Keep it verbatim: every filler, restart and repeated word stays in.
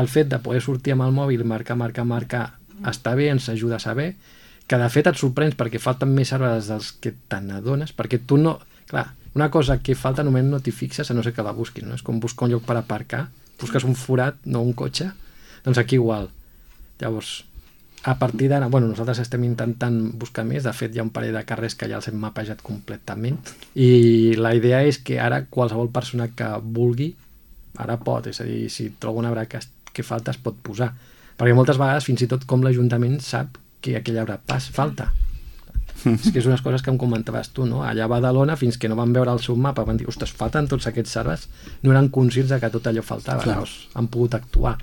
el fet de poder sortir amb el mòbil, marcar, marcar, marcar, està bé, ens ajuda a saber, que de fet et sorprens perquè falten més arbres dels que te n'adones, perquè tu no... Clar, una cosa que falta només no t'hi fixes a no ser que la busquis, no? És com buscar un lloc per aparcar, busques un forat, no un cotxe, doncs aquí igual. Llavors, a partir d'ara, bueno, nosaltres estem intentant buscar més, de fet hi ha un parell de carrers que ja els hem mapejat completament, i la idea és que ara qualsevol persona que vulgui, ara pot, és a dir, si troba un arbre que, que falta es pot posar, perquè moltes vegades fins i tot com l'Ajuntament sap que aquell arbre pas falta. És que és unes coses que em comentaves tu, no? Allà a Badalona, fins que no van veure el seu mapa, van dir, ostres, falten tots aquests arbres, no eren conscients de que tot allò faltava, llavors han pogut actuar.